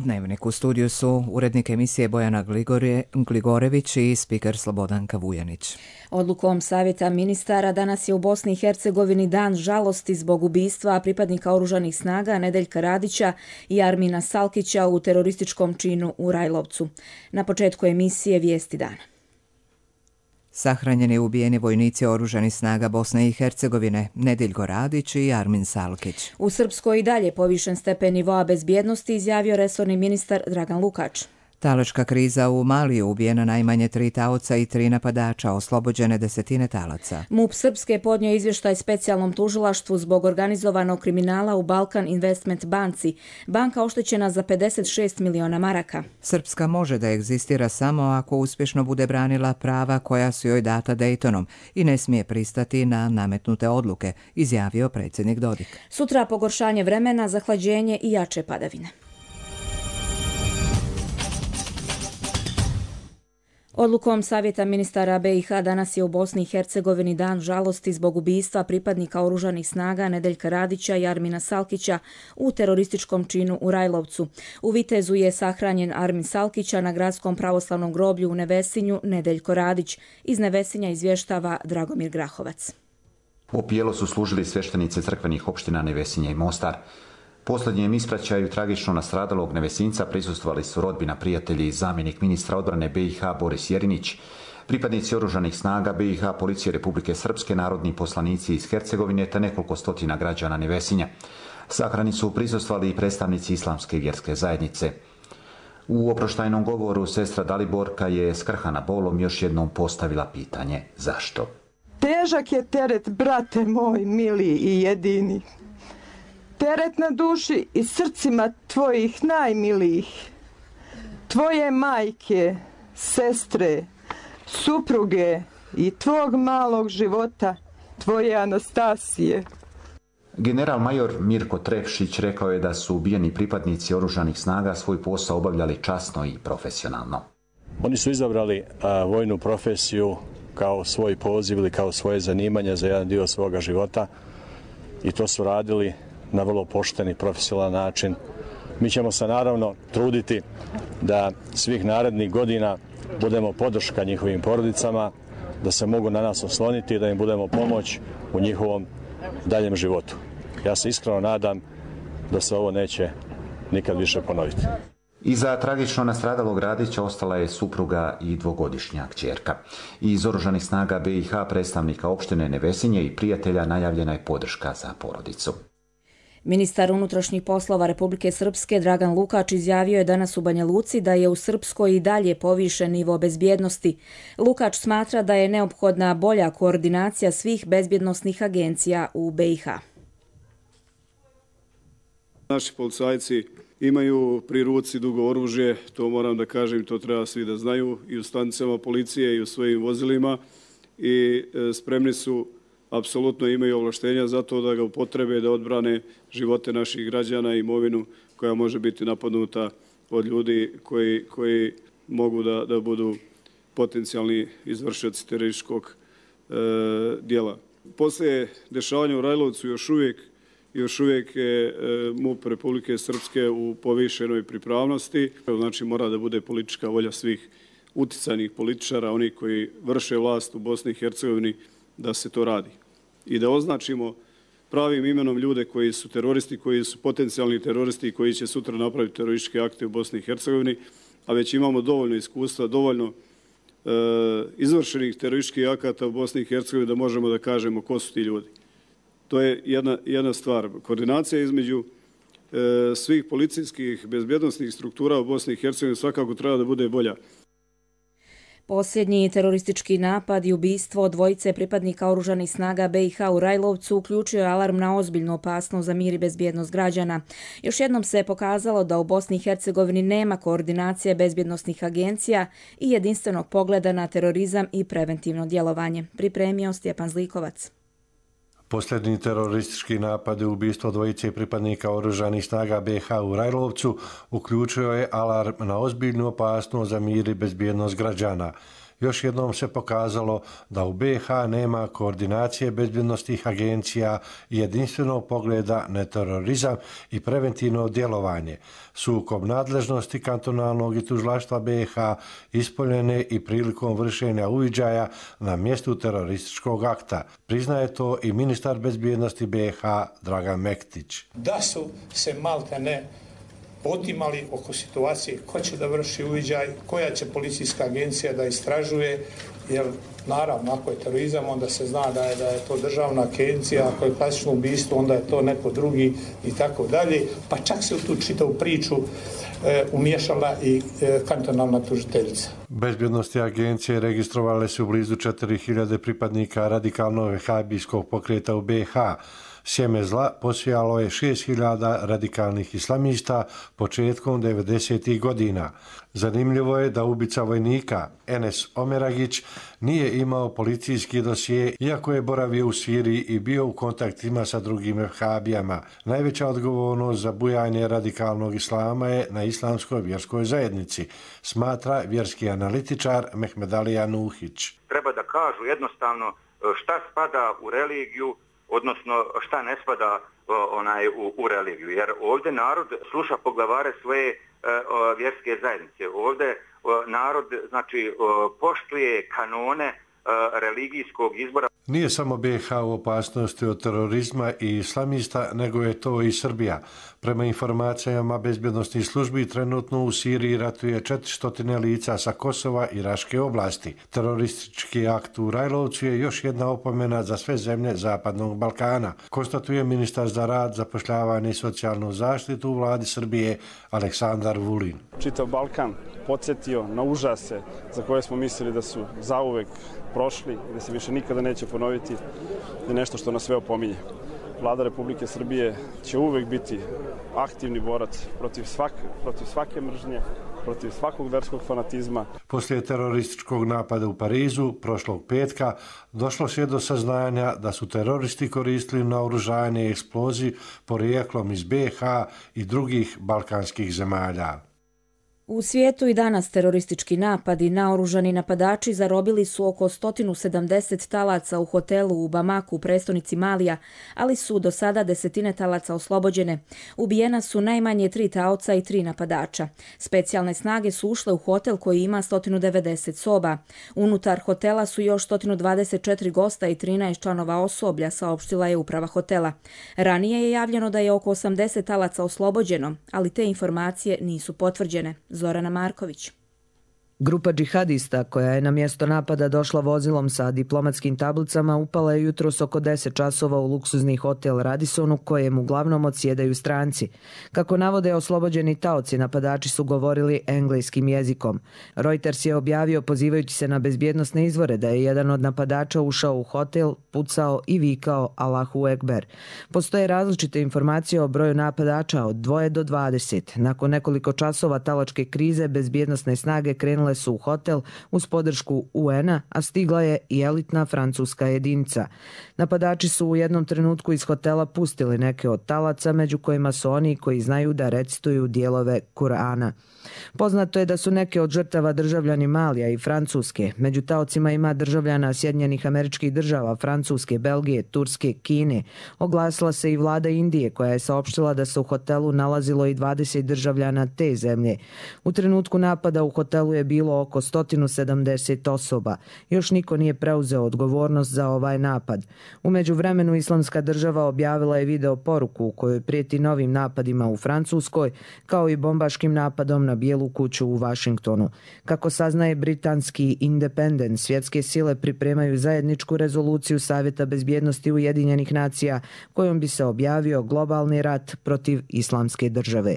Dnevnik. U studiju su urednik emisije Bojana Gligorević i spiker Slobodanka Vujanić. Odlukom Savjeta ministara danas je u Bosni i Hercegovini dan žalosti zbog ubistva pripadnika oružanih snaga Nedeljka Radića i Armina Salkića u terorističkom činu u Rajlovcu. Na početku emisije vijesti dana. Sahranjeni i ubijeni vojnici oružanih snaga Bosne i Hercegovine, Nedeljko Radić i Armin Salkić. U Srpskoj i dalje povišen stepen nivoa bezbjednosti, izjavio resorni ministar Dragan Lukač. Talačka kriza u Maliju, ubijena najmanje 3 taoca i 3 napadača, oslobođene desetine talaca. MUP Srpske podnio izvještaj specijalnom tužilaštvu zbog organizovanog kriminala u Balkan Investment banci. Banka oštećena za 56 miliona maraka. Srpska može da egzistira samo ako uspješno bude branila prava koja su joj data Dejtonom i ne smije pristati na nametnute odluke, izjavio predsjednik Dodik. Sutra pogoršanje vremena, zahlađenje i jače padavine. Odlukom Savjeta ministara BiH danas je u Bosni i Hercegovini dan žalosti zbog ubistva pripadnika oružanih snaga Nedeljka Radića i Armina Salkića u terorističkom činu u Rajlovcu. U Vitezu je sahranjen Armin Salkića na gradskom pravoslavnom groblju u Nevesinju Nedeljko Radić. Iz Nevesinja izvještava Dragomir Grahovac. Opijelo su služili sveštenice crkvenih opština Nevesinje i Mostar. Posljednjem ispraćaju tragično nastradalog Nevesinca prisustvovali su rodbina, prijatelji i zamjenik ministra odbrane BiH Boris Jerinić, pripadnici oružanih snaga BiH, policije Republike Srpske, narodni poslanici iz Hercegovine te nekoliko stotina građana Nevesinja. Sahrani su prisustvovali i predstavnici islamske vjerske zajednice. U oproštajnom govoru sestra Daliborka je skrhana bolom još jednom postavila pitanje zašto. Težak je teret, brate moj, mili i jedini. Teret na duši i srcima tvojih najmilijih, tvoje majke, sestre, supruge i tvog malog života, tvoje Anastasije. General major Mirko Trepšić rekao je da su ubijeni pripadnici oružanih snaga svoj posao obavljali časno i profesionalno. Oni su izabrali vojnu profesiju kao svoj poziv ili kao svoje zanimanje za jedan dio svoga života i to su radili na vrlo pošten i profesionalan način. Mi ćemo se naravno truditi da svih narednih godina budemo podrška njihovim porodicama, da se mogu na nas osloniti i da im budemo pomoć u njihovom daljem životu. Ja se iskreno nadam da se ovo neće nikad više ponoviti. Iza tragično nastradalog Radića ostala je supruga i dvogodišnja kćerka. Iz oružanih snaga BiH, predstavnika opštine Nevesinje i prijatelja najavljena je podrška za porodicu. Ministar unutrašnjih poslova Republike Srpske Dragan Lukač izjavio je danas u Banja Luci da je u Srpskoj i dalje povišen nivo bezbjednosti. Lukač smatra da je neophodna bolja koordinacija svih bezbjednosnih agencija u BiH. Naši policajci imaju pri ruci dugo oružje, to moram da kažem, to treba svi da znaju, i u stanicama policije i u svojim vozilima, i spremni su, apsolutno imaju ovlaštenja za to da ga upotrebe, da odbrane živote naših građana i imovinu koja može biti napadnuta od ljudi koji mogu da budu potencijalni izvršioci terorističkog dijela. Poslije dešavanja u Rajlovcu još uvijek je MUP Republike Srpske u povišenoj pripravnosti. Znači mora da bude politička volja svih uticajnih političara, oni koji vrše vlast u Bosni i Hercegovini, da se to radi. I da označimo pravim imenom ljude koji su teroristi, koji su potencijalni teroristi i koji će sutra napraviti terorističke akte u Bosni i Hercegovini, a već imamo dovoljno iskustva, dovoljno izvršenih terorističkih akata u Bosni i Hercegovini da možemo da kažemo ko su ti ljudi. To je jedna stvar. Koordinacija između svih policijskih bezbjednosnih struktura u Bosni i Hercegovini svakako treba da bude bolja. Posljednji teroristički napad i ubistvo dvojice pripadnika oružanih snaga BiH u Rajlovcu uključio je alarm na ozbiljnu opasnost za mir i bezbjednost građana. Još jednom se je pokazalo da u Bosni i Hercegovini nema koordinacije bezbjednosnih agencija i jedinstvenog pogleda na terorizam i preventivno djelovanje. Pripremio Stjepan Zlikovac. Posljednji teroristički napad i ubistvo dvojice pripadnika oružanih snaga BiH u Rajlovcu uključio je alarm na ozbiljnu opasnost za mir i bezbjednost građana. još jednom se pokazalo da u BiH nema koordinacije bezbjednosnih agencija i jedinstvenog pogleda na terorizam i preventivno djelovanje. Sukob nadležnosti kantonalnog i tužilaštva BiH ispoljene i prilikom vršenja uviđaja na mjestu terorističkog akta. Priznaje to i ministar bezbjednosti BiH Dragan Mektić. Da su se maltene potimali oko situacije ko će da vrši uviđaj, koja će policijska agencija da istražuje, jer naravno ako je terorizam onda se zna da je to državna agencija, ako je klasično ubistvo onda je to neko drugi i tako dalje, pa čak se u tu čitavu priču umiješala i kantonalna tužiteljica. Bezbjednosti agencije registrovale su blizu 4000 pripadnika radikalnog vehabijskog pokreta u BiH. Sjeme zla posijalo je 6000 radikalnih islamista početkom 90. godina. Zanimljivo je da ubica vojnika Enes Omeragić nije imao policijski dosije, iako je boravio u Siriji i bio u kontaktima sa drugim vehabijama. Najveća odgovornost za bujanje radikalnog islama je na islamskoj vjerskoj zajednici, smatra vjerski analitičar Mehmedalija Nuhić. Treba da kažu jednostavno šta spada u religiju, odnosno šta ne spada u religiju. Jer ovdje narod sluša poglavare svoje vjerske zajednice. Ovdje narod poštuje kanone religijskog izbora. Nije samo BiH u opasnosti od terorizma i islamista, nego je to i Srbija. Prema informacijama bezbjednosnih službi, trenutno u Siriji ratuje 400 lica sa Kosova i Raške oblasti. Teroristički akt u Rajlovcu je još jedna opomena za sve zemlje Zapadnog Balkana, konstatuje ministar za rad, zapošljavanje i socijalnu zaštitu u vladi Srbije Aleksandar Vulin. Čitav Balkan podsjetio na užase za koje smo mislili da su zauvek prošli i da se više nikada neće ponoviti, je nešto što nas sve opominje. Vlada Republike Srbije će uvek biti aktivni borac protiv svake mržnje, protiv svakog verskog fanatizma. Poslije terorističkog napada u Parizu prošlog petka došlo se do saznanja da su teroristi koristili naoružanje i eksploziv porijeklom iz BiH i drugih balkanskih zemalja. U svijetu i danas teroristički napadi, naoružani napadači zarobili su oko 170 talaca u hotelu u Bamaku, prestonici Malija, ali su do sada desetine talaca oslobođene. Ubijena su najmanje 3 taoca i 3 napadača. Specijalne snage su ušle u hotel koji ima 190 soba. Unutar hotela su još 124 gosta i 13 članova osoblja, saopštila je uprava hotela. Ranije je javljeno da je oko 80 talaca oslobođeno, ali te informacije nisu potvrđene. Zorana Marković. Grupa džihadista koja je na mjesto napada došla vozilom sa diplomatskim tablicama upala je jutros oko 10 časova u luksuzni hotel Radisson u kojem uglavnom odsjedaju stranci. Kako navode oslobođeni taoci, napadači su govorili engleskim jezikom. Reuters je objavio, pozivajući se na bezbjednosne izvore, da je jedan od napadača ušao u hotel, pucao i vikao Allahu Ekber. Postoje različite informacije o broju napadača od 2 do 20. Nakon nekoliko časova talačke krize, bezbjednosne snage krenule su u hotel uz podršku UN-a, a stigla je i elitna francuska jedinica. Napadači su u jednom trenutku iz hotela pustili neke od talaca, među kojima su oni koji znaju da recituju dijelove Kur'ana. Poznato je da su neke od žrtava državljani Malija i Francuske. Među taocima ima državljana Sjedinjenih Američkih Država, Francuske, Belgije, Turske, Kine. Oglasila se i vlada Indije koja je saopštila da se u hotelu nalazilo i 20 državljana te zemlje. U trenutku napada u hotelu je bilo oko 170 osoba. Još niko nije preuzeo odgovornost za ovaj napad. U međuvremenu Islamska država objavila je video poruku u kojoj prijeti novim napadima u Francuskoj, kao i bombaškim napadom na Bijelu kuću u Vašingtonu. Kako saznaje britanski Independent, svjetske sile pripremaju zajedničku rezoluciju Savjeta bezbjednosti Ujedinjenih nacija kojom bi se objavio globalni rat protiv Islamske države.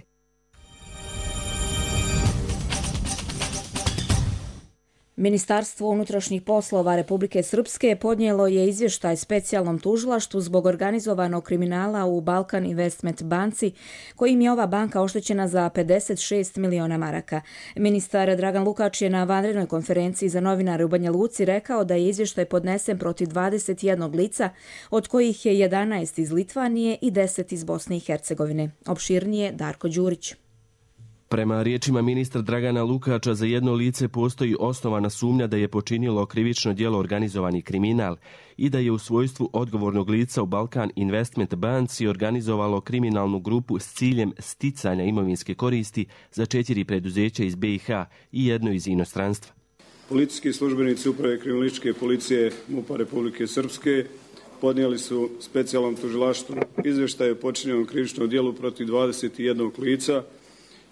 Ministarstvo unutrašnjih poslova Republike Srpske podnijelo je izvještaj specijalnom tužilaštvu zbog organizovanog kriminala u Balkan Investment banci, kojim je ova banka oštećena za 56 miliona maraka. Ministar Dragan Lukač je na vanrednoj konferenciji za novinare u Banja Luci rekao da je izvještaj podnesen protiv 21 lica, od kojih je 11 iz Litvanije i 10 iz Bosne i Hercegovine. Opširnije Darko Đurić. Prema riječima ministra Dragana Lukača, za jedno lice postoji osnovana sumnja da je počinilo krivično djelo organizovani kriminal i da je u svojstvu odgovornog lica u Balkan Investment banci organizovalo kriminalnu grupu s ciljem sticanja imovinske koristi za 4 preduzeća iz BiH i jedno iz inostranstva. Policijski službenici Uprave kriminalističke policije MUP-a Republike Srpske podnijeli su specijalnom tužilaštvu izvještaj o počinjenom krivičnom djelu protiv 21 lica.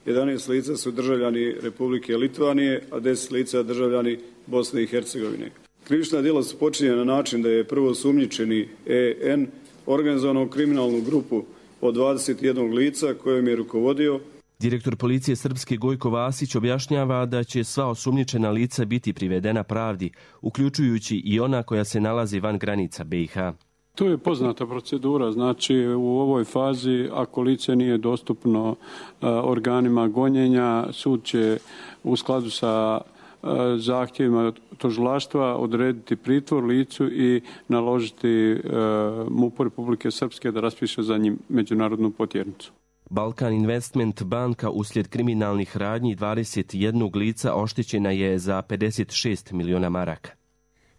11 lica su državljani Republike Litvanije, a 10 lica državljani Bosne i Hercegovine. Krivična djela su počinjena na način da je prvo osumnjičeni EN organizovanom kriminalnu grupu od 21 lica kojom je rukovodio. Direktor policije Srpske Gojko Vasić objašnjava da će sva osumnjičena lica biti privedena pravdi, uključujući i ona koja se nalazi van granica BiH. To je poznata procedura, znači u ovoj fazi ako lice nije dostupno organima gonjenja, sud će u skladu sa zahtjevima tužilaštva odrediti pritvor licu i naložiti MUP-u Republike Srpske da raspiše za njim međunarodnu potjernicu. Balkan Investment banka uslijed kriminalnih radnji 21 lica oštećena je za 56 miliona maraka.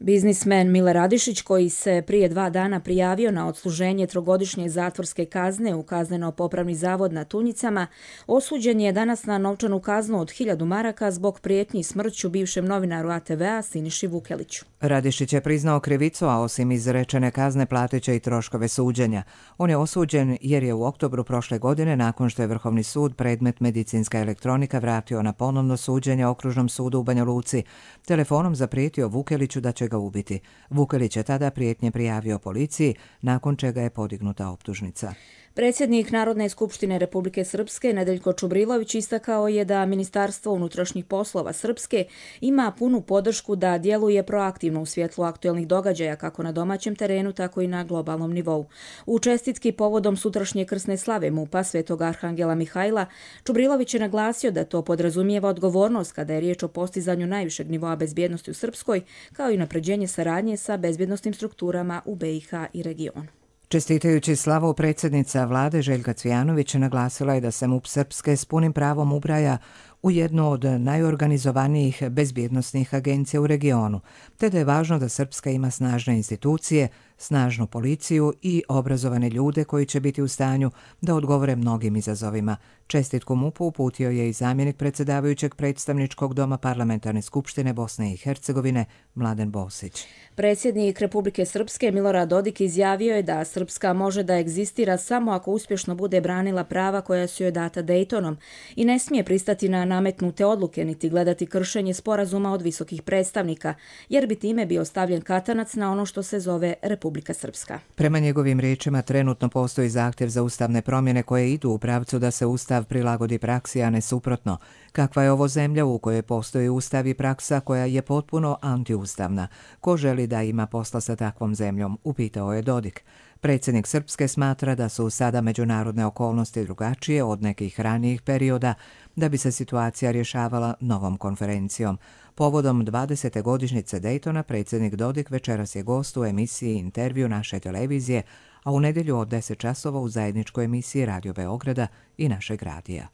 Biznismen Mile Radišić, koji se prije 2 dana prijavio na odsluženje 3-godišnje zatvorske kazne u kazneno-popravni zavod na Tunjicama, osuđen je danas na novčanu kaznu od 1000 maraka zbog prijetnji smrću bivšem novinaru ATV-a Siniši Vukeliću. Radišić je priznao krivicu, a osim izrečene kazne platit će i troškove suđenja. On je osuđen jer je u oktobru prošle godine, nakon što je Vrhovni sud predmet medicinska elektronika vratio na ponovno suđenje Okružnom sudu u Banja Luci, telefonom zaprijetio Vukeliću da će ga ubiti. Vukelić je tada prijetnje prijavio policiji, nakon čega je podignuta optužnica. Predsjednik Narodne skupštine Republike Srpske Nedeljko Čubrilović istakao je da Ministarstvo unutrašnjih poslova Srpske ima punu podršku da djeluje proaktivno u svjetlu aktuelnih događaja kako na domaćem terenu, tako i na globalnom nivou. U čestitki povodom sutrašnje krsne slave MUP-a Svetog Arhangela Mihajla, Čubrilović je naglasio da to podrazumijeva odgovornost kada je riječ o postizanju najvišeg nivoa bezbjednosti u Srpskoj, kao i unapređenje saradnje sa bezbjednosnim strukturama u BiH i regionu. Čestitajući slavu, predsjednica vlade Željka Cvijanović naglasila je da se MUP Srpske s punim pravom ubraja u jednu od najorganizovanijih bezbjednosnih agencija u regionu, te da je važno da Srpska ima snažne institucije, snažnu policiju i obrazovane ljude koji će biti u stanju da odgovore mnogim izazovima. Čestitku MUP-u uputio je i zamjenik predsjedavajućeg predstavničkog doma Parlamentarne skupštine Bosne i Hercegovine Mladen Bosić. Predsjednik Republike Srpske Milorad Dodik izjavio je da Srpska može da egzistira samo ako uspješno bude branila prava koja su joj data Daytonom i ne smije pristati na nametnute odluke niti gledati kršenje sporazuma od visokih predstavnika, jer bi time bio stavljen katanac na ono što se zove Republika Srpska. Prema njegovim riječima, trenutno postoji zahtjev za ustavne promjene koje idu u pravcu da se ustav prilagodi praksi, a ne suprotno. Kakva je ovo zemlja u kojoj postoji ustav i praksa koja je potpuno antiustavna? Ko želi da ima posla sa takvom zemljom? Upitao je Dodik. Predsjednik Srpske smatra da su sada međunarodne okolnosti drugačije od nekih ranijih perioda, da bi se situacija rješavala novom konferencijom. Povodom 20. godišnjice Daytona, predsjednik Dodik večeras je gost u emisiji Intervju naše televizije, a u nedjelju od 10 časova u zajedničkoj emisiji Radio Beograda i našeg radija.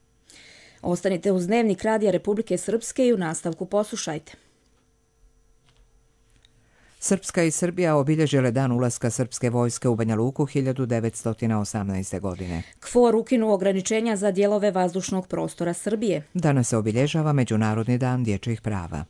Ostanite uz Dnevnik Radija Republike Srpske i u nastavku poslušajte. Srpska i Srbija obilježile dan ulaska srpske vojske u Banja Luku 1918. godine. KFOR ukinuo ograničenja za dijelove vazdušnog prostora Srbije. Danas se obilježava Međunarodni dan dječjih prava.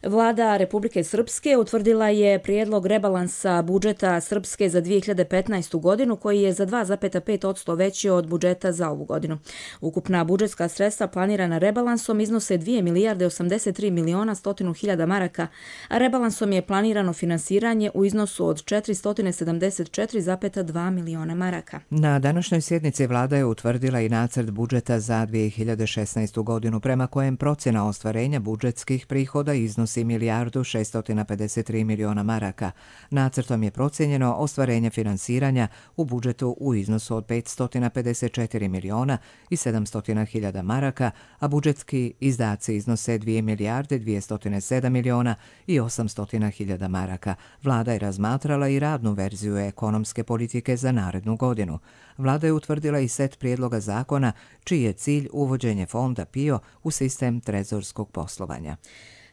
Vlada Republike Srpske utvrdila je prijedlog rebalansa budžeta Srpske za 2015. godinu koji je za 2,5% veći od budžeta za ovu godinu. Ukupna budžetska sredstva planirana rebalansom iznose 2 milijarde 83 miliona 100 hiljada maraka, a rebalansom je planirano finansiranje u iznosu od 474,2 miliona maraka. Na današnjoj sjednici vlada je utvrdila i nacrt budžeta za 2016. godinu prema kojem procjena ostvarenja budžetskih prihoda iznosi iznosi $1.653 miliona maraka. Nacrtom je procijenjeno ostvarenje finansiranja u budžetu u iznosu od $554 miliona i 700 hiljada maraka, a budžetski izdaci iznose $2.207 miliona i 800 hiljada maraka. Vlada je razmatrala i radnu verziju ekonomske politike za narednu godinu. Vlada je utvrdila i set prijedloga zakona čiji je cilj uvođenje fonda PIO u sistem trezorskog poslovanja.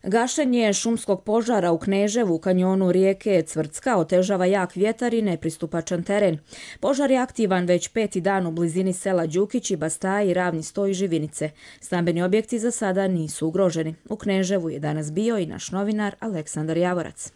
Gašenje šumskog požara u Kneževu u kanjonu rijeke Cvrcka otežava jak vjetar i nepristupačan teren. Požar je aktivan već 5. dan u blizini sela Đukići, Bastaji, Ravni Sto i Živinice. Stambeni objekti za sada nisu ugroženi. U Kneževu je danas bio i naš novinar Aleksandar Javorac.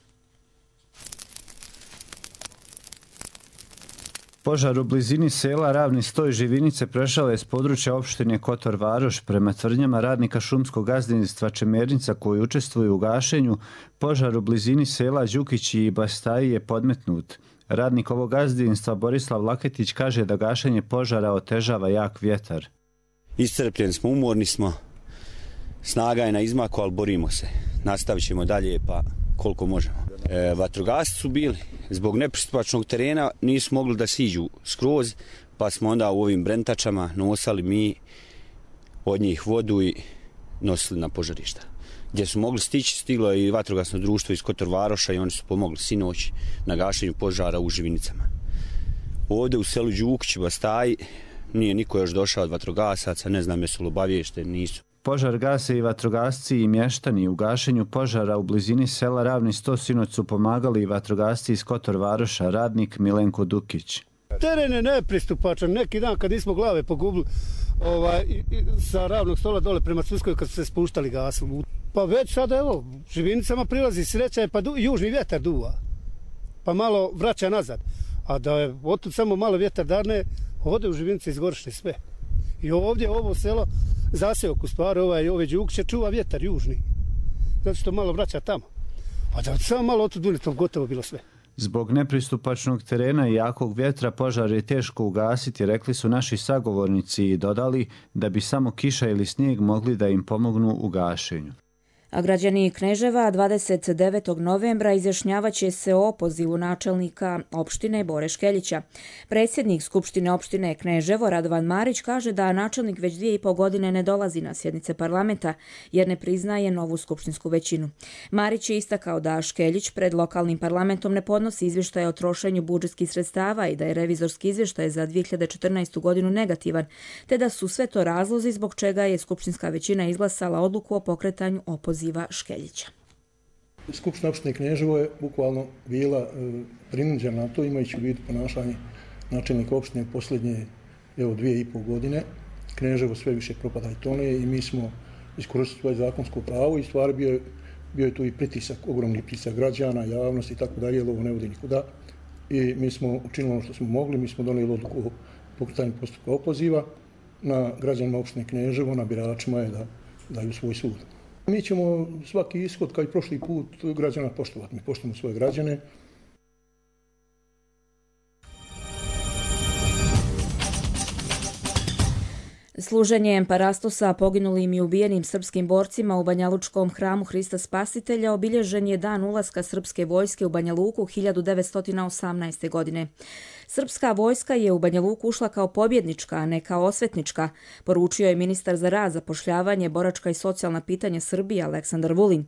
Požar u blizini sela Ravni Sto i Živinice prešao je s područja opštine Kotor Varoš. Prema tvrdnjama radnika šumskog gazdinstva Čemernica koji učestvuju u gašenju, požar u blizini sela Đukići i Bastaji je podmetnut. Radnik ovog gazdinstva Borislav Laketić kaže da gašenje požara otežava jak vjetar. Iscrpljeni smo, umorni smo, snaga je na izmaku, ali borimo se. Nastavit ćemo dalje pa koliko možemo. Vatrogasci su bili, zbog nepristupačnog terena nisu mogli da siđu skroz, pa smo onda u ovim brentačama nosali mi od njih vodu i nosili na požarišta. Gdje su mogli stići, stiglo je i vatrogasno društvo iz Kotor Varoša i oni su pomogli sinoć na gašenju požara u Živinicama. Ovdje u selu Đukić, Bastaji, nije niko još došao od vatrogasaca, ne znam jesu li obaviješteni, nisu. Požar gase i vatrogasci i mještani. U gašenju požara u blizini sela Ravni Sto sinoć su pomagali i vatrogasci iz Kotor Varoša, radnik Milenko Dukić. Teren je nepristupačan. Neki dan kad nismo glave pogubili sa Ravnog Stola dole prema Cvrskoj kad su se spuštali gasom. Pa već sada evo, Živinicama prilazi sreća pa južni vjetar duva. Pa malo vraća nazad. A da je otud samo malo vjetar darne, ovdje u Živinice izgorišne sve. I ovdje ovo selo zaseok u stvari, ove Đukiće čuva vjetar južni. Zato što malo vraća tamo. A da samo malo otud dune, to gotovo bilo sve. Zbog nepristupačnog terena i jakog vjetra požar je teško ugasiti, rekli su naši sagovornici i dodali da bi samo kiša ili snijeg mogli da im pomognu u gašenju. A građani Kneževa 29. novembra izjašnjavaće se o opozivu načelnika opštine Bore Škeljića. Predsjednik Skupštine opštine Kneževo Radovan Marić kaže da načelnik već 2,5 godine ne dolazi na sjednice parlamenta jer ne priznaje novu skupštinsku većinu. Marić je istakao da Škeljić pred lokalnim parlamentom ne podnosi izvještaje o trošenju budžetskih sredstava i da je revizorski izvještaj za 2014. godinu negativan, te da su sve to razlozi zbog čega je skupštinska većina izglasala odluku o pokretanju opoziva Škeljića. Skupština opštine Kneževo je bukvalno bila prinuđena na to, imajući u vidu ponašanje načelnika opštine posljednje 2,5 godine. Kneževo sve više propada i tone i mi smo iskoristili svoje zakonsko pravo i stvari bio je tu i pritisak, ogromni pritisak građana, javnosti i tako dalje, jer ovo ne vodi nikuda. I mi smo učinili ono što smo mogli, mi smo donijeli odluku o pokretanju postupka opoziva. Na građanima opštine Kneževo, na biračima je da daju svoj sud. Mi ćemo svaki ishod, kao i prošli put, građana poštovati. Mi poštujemo svoje građane. Služenjem parastosa poginulim i ubijenim srpskim borcima u Banjalučkom hramu Hrista Spasitelja obilježen je dan ulaska srpske vojske u Banja Luku 1918. godine. Srpska vojska je u Banja Luku ušla kao pobjednička, a ne kao osvetnička, poručio je ministar za rad, zapošljavanje, boračka i socijalna pitanja Srbije Aleksandar Vulin.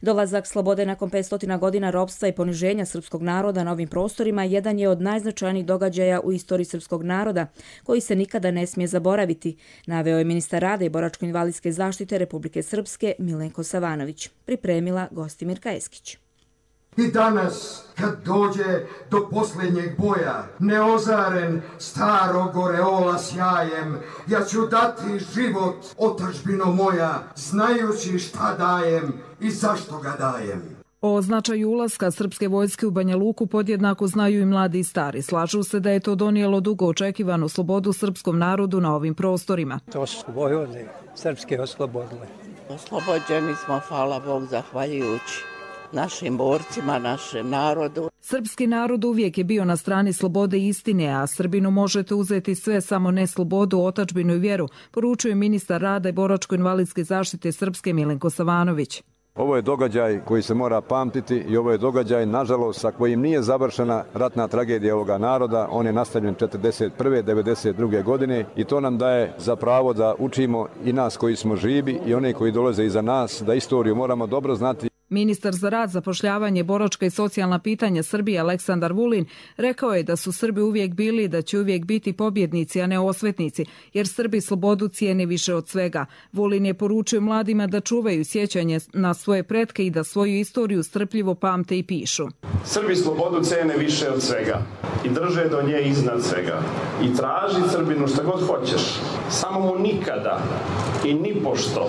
Dolazak slobode nakon 500 godina ropstva i poniženja srpskog naroda na ovim prostorima jedan je od najznačajnijih događaja u istoriji srpskog naroda, koji se nikada ne smije zaboraviti, naveo je ministar rada i boračko-invalidske zaštite Republike Srpske Milenko Savanović. Pripremila Gostimirka Eskić. I danas, kad dođe do posljednjeg boja, neozaren starog oreola sjajem, ja ću dati život, otadžbino moja, znajući šta dajem i zašto ga dajem. O značaju ulaska srpske vojske u Banja Luku podjednako znaju i mladi i stari. Slažu se da je to donijelo dugo očekivanu slobodu srpskom narodu na ovim prostorima. To su vojvode srpske oslobodile. Oslobođeni smo, hvala Bog, zahvaljujući našim borcima, našem narodu. Srpski narod uvijek je bio na strani slobode i istine, a Srbinu možete uzeti sve, samo ne slobodu, otadžbinu i vjeru, poručuje ministar rada i boračko-invalidske zaštite Srpske Milenko Savanović. Ovo je događaj koji se mora pamtiti i ovo je događaj, nažalost, sa kojim nije završena ratna tragedija ovoga naroda. On je nastavljen 1941. 1992. godine i to nam daje za pravo da učimo i nas koji smo živi i one koji dolaze iza nas, da istoriju moramo dobro znati. Ministar za rad, zapošljavanje, boračka i socijalna pitanja Srbije Aleksandar Vulin rekao je da su Srbi uvijek bili i da će uvijek biti pobjednici, a ne osvetnici, jer Srbi slobodu cijene više od svega. Vulin je poručio mladima da čuvaju sjećanje na svoje pretke i da svoju istoriju strpljivo pamte i pišu. Srbi slobodu cene više od svega i drže do nje iznad svega. I traži Srbinu šta god hoćeš, samo mu nikada i nipošto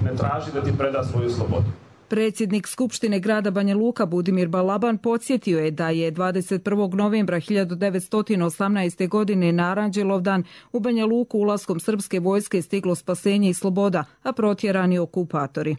ne traži da ti preda svoju slobodu. Predsjednik Skupštine grada Banja Luka Budimir Balaban podsjetio je da je 21. novembra 1918. godine na Aranđelovdan u Banja Luku ulaskom srpske vojske stiglo spasenje i sloboda, a protjerani okupatori.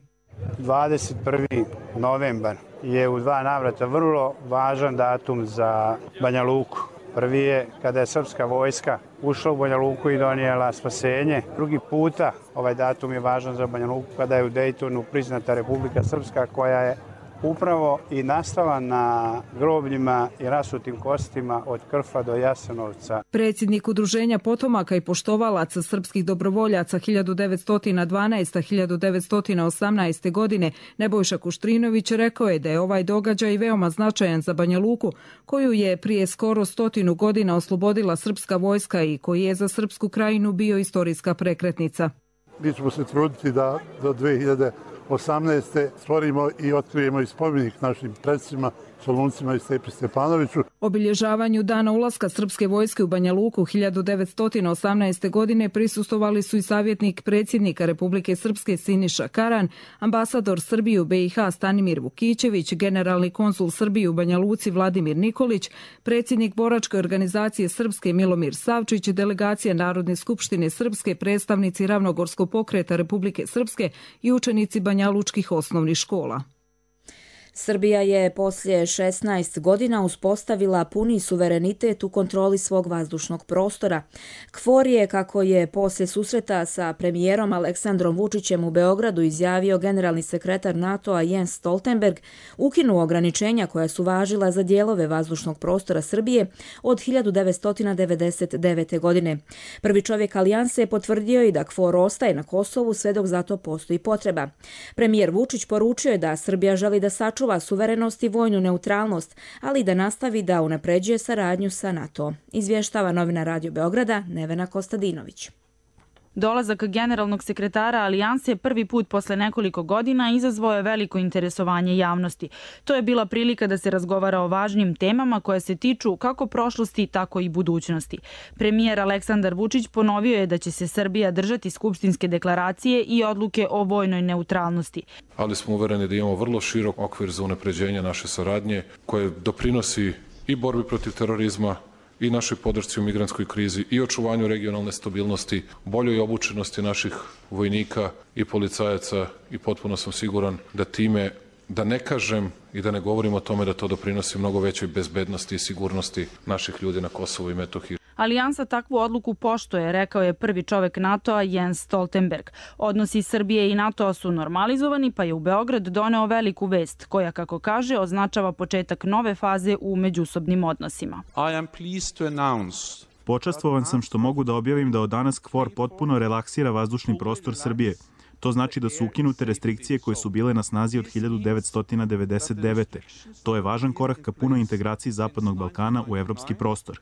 21. novembar je u dva navrata vrlo važan datum za Banja Luku. Prvi je kada je srpska vojska ušla u Banja Luku i donijela spasenje. Drugi puta ovaj datum je važan za Banja Luku kada je u Dejtonu priznata Republika Srpska, koja je upravo i nastala na grobljima i rasutim kostima od Krfa do Jasenovca. Predsjednik Udruženja potomaka i poštovalaca srpskih dobrovoljaca 1912-1918. godine Nebojša Kuštrinović rekao je da je ovaj događaj veoma značajan za Banja Luku, koju je prije skoro 100 godina oslobodila srpska vojska i koji je za Srpsku krajinu bio istorijska prekretnica. Mi ćemo se truditi da do 2018. stvorimo i otkrijemo i spomenik našim predsima, Soluncima i Stepi Stepanoviću. Obilježavanju dana ulaska srpske vojske u Banja Luku 1918. godine prisustvovali su i savjetnik predsjednika Republike Srpske Siniša Karan, ambasador Srbije u BiH Stanimir Vukićević, generalni konsul Srbije u Banja Luci Vladimir Nikolić, predsjednik boračke organizacije Srpske Milomir Savčić, delegacija Narodne skupštine Srpske, predstavnici Ravnogorskog pokreta Republike Srpske i učenici banjalučkih osnovnih škola. Srbija je poslije 16 godina uspostavila puni suverenitet u kontroli svog vazdušnog prostora. KFOR je, kako je poslije susreta sa premijerom Aleksandrom Vučićem u Beogradu izjavio generalni sekretar NATO-a Jens Stoltenberg, ukinuo ograničenja koja su važila za dijelove vazdušnog prostora Srbije od 1999. godine. Prvi čovjek alijanse je potvrdio i da KFOR ostaje na Kosovu sve dok za to postoji potreba. Premijer Vučić poručio je da Srbija želi da sačuva suverenost i vojnu neutralnost, ali i da nastavi da unapređuje saradnju sa NATO. Izvještava novina Radio Beograda Nevena Kostadinović. Dolazak generalnog sekretara Alijanse prvi put posle nekoliko godina izazvao je veliko interesovanje javnosti. To je bila prilika da se razgovara o važnim temama koje se tiču kako prošlosti, tako i budućnosti. Premijer Aleksandar Vučić ponovio je da će se Srbija držati skupštinske deklaracije i odluke o vojnoj neutralnosti. Ali smo uvereni da imamo vrlo širok okvir za unapređenje naše saradnje koje doprinosi i borbi protiv terorizma, i našoj podršci u migrantskoj krizi i očuvanju regionalne stabilnosti, boljoj obučenosti naših vojnika i policajaca i potpuno sam siguran da time, da ne kažem i da ne govorim o tome da to doprinosi mnogo većoj bezbednosti i sigurnosti naših ljudi na Kosovu i Metohiji. Alijansa takvu odluku poštuje, rekao je prvi čovjek NATO-a Jens Stoltenberg. Odnosi Srbije i NATO-a su normalizovani, pa je u Beograd doneo veliku vest, koja, kako kaže, označava početak nove faze u međusobnim odnosima. Počastvovan sam što mogu da objavim da od danas KFOR potpuno relaksira vazdušni prostor Srbije. To znači da su ukinute restrikcije koje su bile na snazi od 1999. To je važan korak ka punoj integraciji Zapadnog Balkana u evropski prostor.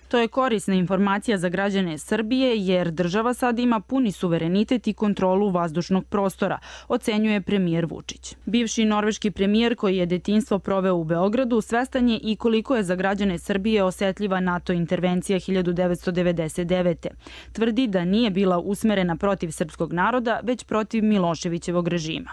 To je korisna informacija za građane Srbije jer država sad ima puni suverenitet i kontrolu vazdušnog prostora, ocenjuje premijer Vučić. Bivši norveški premijer koji je detinjstvo proveo u Beogradu svestan je i koliko je za građane Srbije osetljiva NATO intervencija 1999. Tvrdi da nije bila usmerena protiv srpskog naroda, već protiv Miloševićevog režima.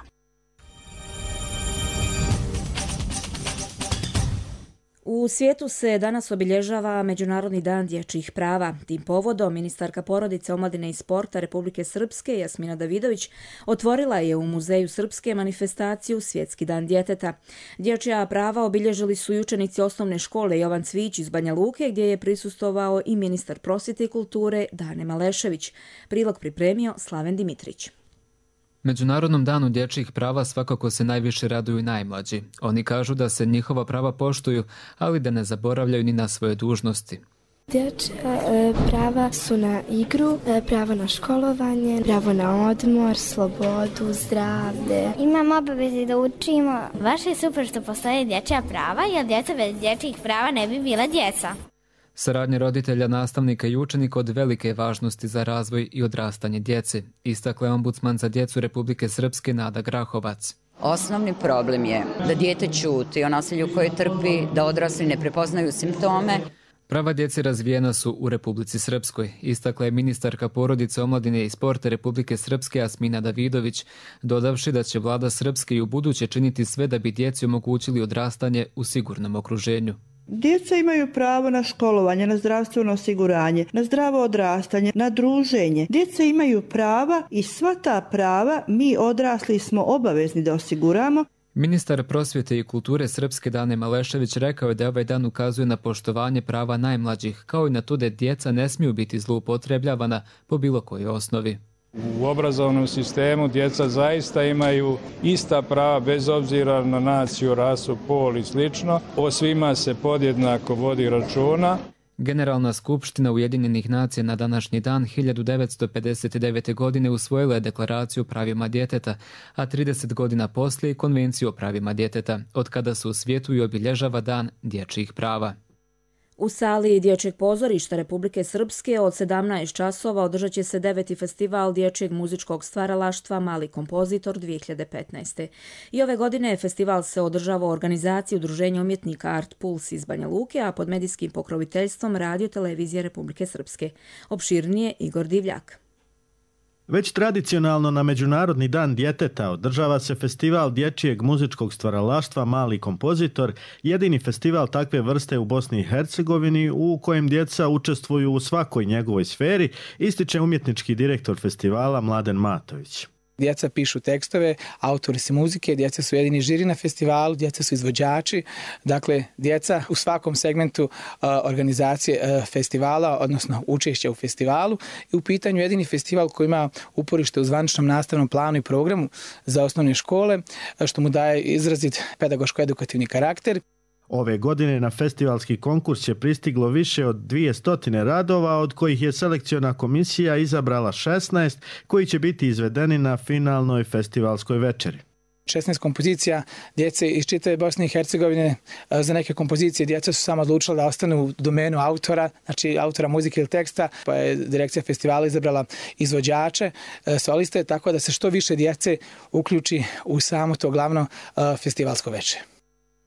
U svijetu se danas obilježava Međunarodni dan dječjih prava. Tim povodom ministarka porodice, omladine i sporta Republike Srpske Jasmina Davidović otvorila je u Muzeju Srpske manifestaciju Svjetski dan djeteta. Dječja prava obilježili su i učenici osnovne škole Jovan Cvić iz Banja Luke, gdje je prisustvovao i ministar prosvjete i kulture Dane Malešević. Prilog pripremio Slaven Dimitrić. Međunarodnom danu dječjih prava svakako se najviše raduju najmlađi. Oni kažu da se njihova prava poštuju, ali da ne zaboravljaju ni na svoje dužnosti. Dječja prava su na igru, pravo na školovanje, pravo na odmor, slobodu, zdravlje. Imamo obaveze da učimo. Baš je super što postoje dječja prava, jer djeca bez dječjih prava ne bi bila djeca. Saradnja roditelja, nastavnika i učenika od velike važnosti za razvoj i odrastanje djece, istakla je ombudsman za djecu Republike Srpske Nada Grahovac. Osnovni problem je da dijete ćuti o nasilju koje trpi, da odrasli ne prepoznaju simptome. Prava djece razvijena su u Republici Srpskoj, istakla je ministarka porodice, omladine i sporta Republike Srpske Asmina Davidović, dodavši da će vlada Srpske i u buduće činiti sve da bi djeci omogućili odrastanje u sigurnom okruženju. Djeca imaju pravo na školovanje, na zdravstveno osiguranje, na zdravo odrastanje, na druženje. Djeca imaju prava i sva ta prava mi odrasli smo obavezni da osiguramo. Ministar prosvjete i kulture Srpske Dane Malešević rekao je da ovaj dan ukazuje na poštovanje prava najmlađih, kao i na to da djeca ne smiju biti zloupotrebljavana po bilo kojoj osnovi. U obrazovnom sistemu djeca zaista imaju ista prava bez obzira na naciju, rasu, pol i slično. O svima se podjednako vodi računa. Generalna skupština Ujedinjenih nacija na današnji dan 1959. godine usvojila je deklaraciju o pravima djeteta, a 30 godina poslije konvenciju o pravima djeteta, od kada se u svijetu i obilježava dan dječjih prava. U sali Dječjeg pozorišta Republike Srpske od 17 časova održat će se 9. festival dječjeg muzičkog stvaralaštva Mali kompozitor 2015. I ove godine festival se održava u organizaciji Udruženja umjetnika Art Puls iz Banja Luke, a pod medijskim pokroviteljstvom Radio televizije Republike Srpske. Opširnije Igor Divljak. Već tradicionalno na Međunarodni dan djeteta održava se festival dječjeg muzičkog stvaralaštva Mali kompozitor, jedini festival takve vrste u Bosni i Hercegovini u kojem djeca učestvuju u svakoj njegovoj sferi, ističe umjetnički direktor festivala Mladen Matović. Djeca pišu tekstove, autori su muzike, djeca su jedini žiri na festivalu, djeca su izvođači, dakle djeca u svakom segmentu organizacije festivala, odnosno učešća u festivalu. I u pitanju jedini festival koji ima uporište u zvaničnom nastavnom planu i programu za osnovne škole, što mu daje izrazit pedagoško-edukativni karakter. Ove godine na festivalski konkurs je pristiglo više od 200 radova, od kojih je selekciona komisija izabrala 16, koji će biti izvedeni na finalnoj festivalskoj večeri. 16 kompozicija djece iz čitave Bosne i Hercegovine. Za neke kompozicije djeca su samo odlučila da ostanu u domenu autora, znači autora muzike ili teksta, pa je direkcija festivala izabrala izvođače, soliste, tako da se što više djece uključi u samo to glavno festivalsko večer.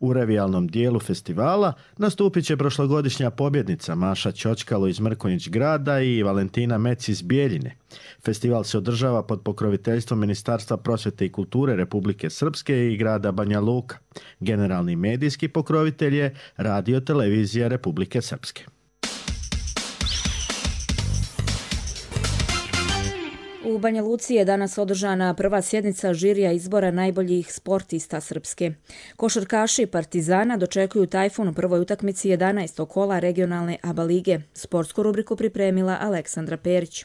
U revijalnom dijelu festivala nastupit će prošlogodišnja pobjednica Maša Ćočkalo iz Mrkonjić grada i Valentina Mec iz Bijeljine. Festival se održava pod pokroviteljstvom Ministarstva prosvjete i kulture Republike Srpske i grada Banja Luka. Generalni medijski pokrovitelj je Radio televizija Republike Srpske. U Banja Luci je danas održana prva sjednica žirija izbora najboljih sportista Srpske. Košarkaši Partizana dočekuju Tajfun u prvoj utakmici 11. kola regionalne ABA lige. Sportsku rubriku pripremila Aleksandra Perić.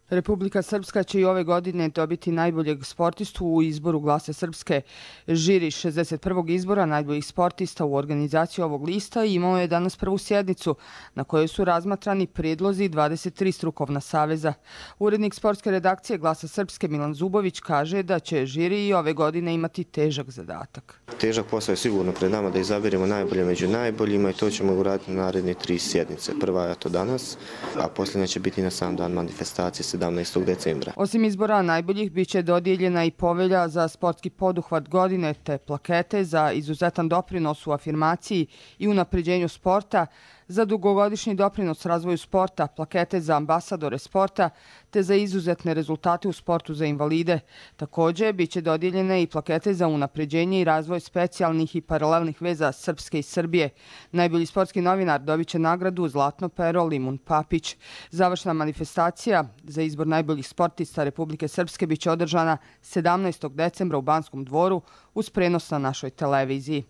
Republika Srpska će i ove godine dobiti najboljeg sportistu u izboru Glasa Srpske. Žiri 61. izbora najboljih sportista u organizaciji ovog lista imao je danas prvu sjednicu na kojoj su razmatrani prijedlozi 23 strukovna saveza. Urednik sportske redakcije Glasa Srpske Milan Zubović kaže da će žiri i ove godine imati težak zadatak. Težak posao je sigurno pred nama da izaberemo najbolje među najboljima i to ćemo uraditi na naredne 3 sjednice. Prva je to danas, a posljednja će biti na sam dan manifestacije 17. decembra. Osim izbora najboljih biće dodijeljena i povelja za sportski poduhvat godine te plakete za izuzetan doprinos u afirmaciji i unapređenju sporta, za dugogodišnji doprinos razvoju sporta, plakete za ambasadore sporta te za izuzetne rezultate u sportu za invalide. Također biće dodijeljene i plakete za unapređenje i razvoj specijalnih i paralelnih veza Srpske i Srbije. Najbolji sportski novinar dobit će nagradu Zlatno pero Limun Papić. Završna manifestacija za izbor najboljih sportista Republike Srpske biće održana 17. decembra u Banskom dvoru uz prenos na našoj televiziji.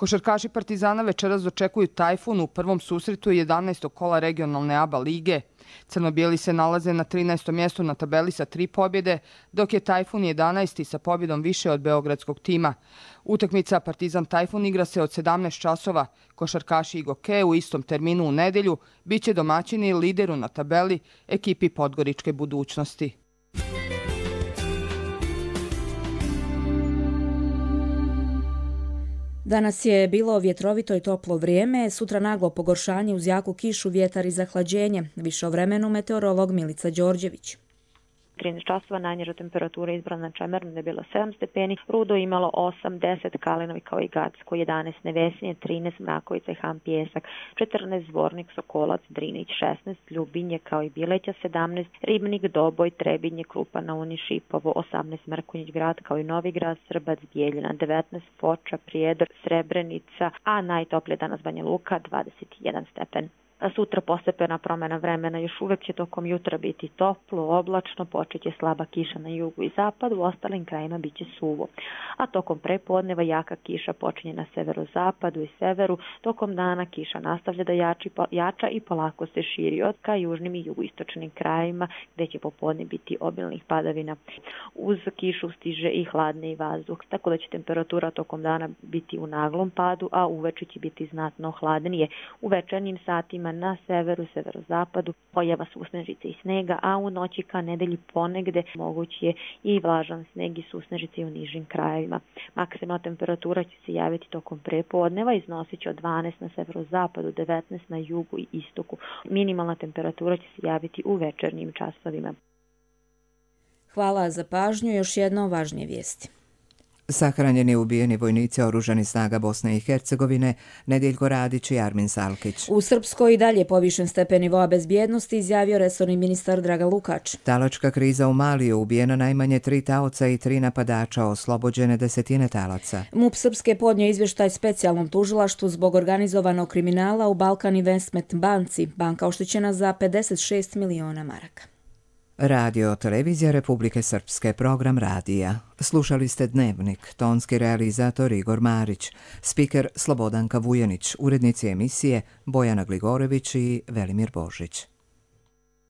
Košarkaši Partizana večeras dočekuju Tajfun u prvom susretu 11. kola regionalne ABA lige. Crno-bijeli se nalaze na 13. mjestu na tabeli sa 3 pobjede, dok je Tajfun 11. sa pobjedom više od beogradskog tima. Utakmica Partizan Tajfun igra se od 17 časova. Košarkaši Igoke u istom terminu u nedelju biće domaćini lideru na tabeli ekipi Podgoričke budućnosti. Danas je bilo vjetrovito i toplo vrijeme, sutra naglo pogoršanje uz jaku kišu, vjetar i zahlađenje. Više o vremenu meteorolog Milica Đorđević. 13 časova, najniža temperatura izbrana na Čemernu je bilo 7 stepeni, Rudo imalo 8, 10, Kalinovi kao i Gacko 11, Nevesinje 13, Mrakovica i Han Pijesak 14, Zvornik, Sokolac, Drinić 16, Ljubinje kao i Bileća 17, Ribnik, Doboj, Trebinje, Krupa na Uni, Šipovo 18, Mrkonjić grad kao i Novigrad, Srbac, Bijeljina 19, Foča, Prijedor, Srebrenica, a najtoplije danas Banja Luka 21 stepen. Sutra postepena promjena vremena, još uvek će tokom jutra biti toplo, oblačno, počeće slaba kiša na jugu i zapadu, u ostalim krajima bit će suvo. A tokom prepodneva jaka kiša počinje na severozapadu i severu, tokom dana kiša nastavlja da jača i polako se širi od ka južnim i jugoistočnim krajima, gdje će popodne biti obilnih padavina. Uz kišu stiže i hladni vazduh, tako da će temperatura tokom dana biti u naglom padu, a uveče će biti znatno hladnije. U večernjim satima na severu, severozapadu pojava susnežice i snega, a u noći ka nedelji ponegde moguć je i vlažan sneg i susnežice u nižim krajevima. Maksimalna temperatura će se javiti tokom prepodneva, iznosit će od 12 na severozapadu, 19 na jugu i istoku. Minimalna temperatura će se javiti u večernjim časovima. Hvala za pažnju, još jedno važnije vijesti. Sahranjeni ubijeni vojnici oružanih snaga Bosne i Hercegovine Nediljko Radić i Armin Salkić. U Srpskoj i dalje povišen stepen nivoa bezbjednosti, izjavio resorni ministar Dragan Lukač. Talačka kriza u Maliju, ubijeno najmanje 3 taoca i 3 napadača, oslobođene desetine talaca. MUP Srpske podnio izvještaj specijalnom tužilaštvu zbog organizovanog kriminala u Balkan Investment banci. Banka oštećena za 56 miliona maraka. Radio Televizija Republike Srpske, program radija. Slušali ste Dnevnik, tonski realizator Igor Marić, spiker Slobodanka Vujanić, urednici emisije Bojana Gligorević i Velimir Božić.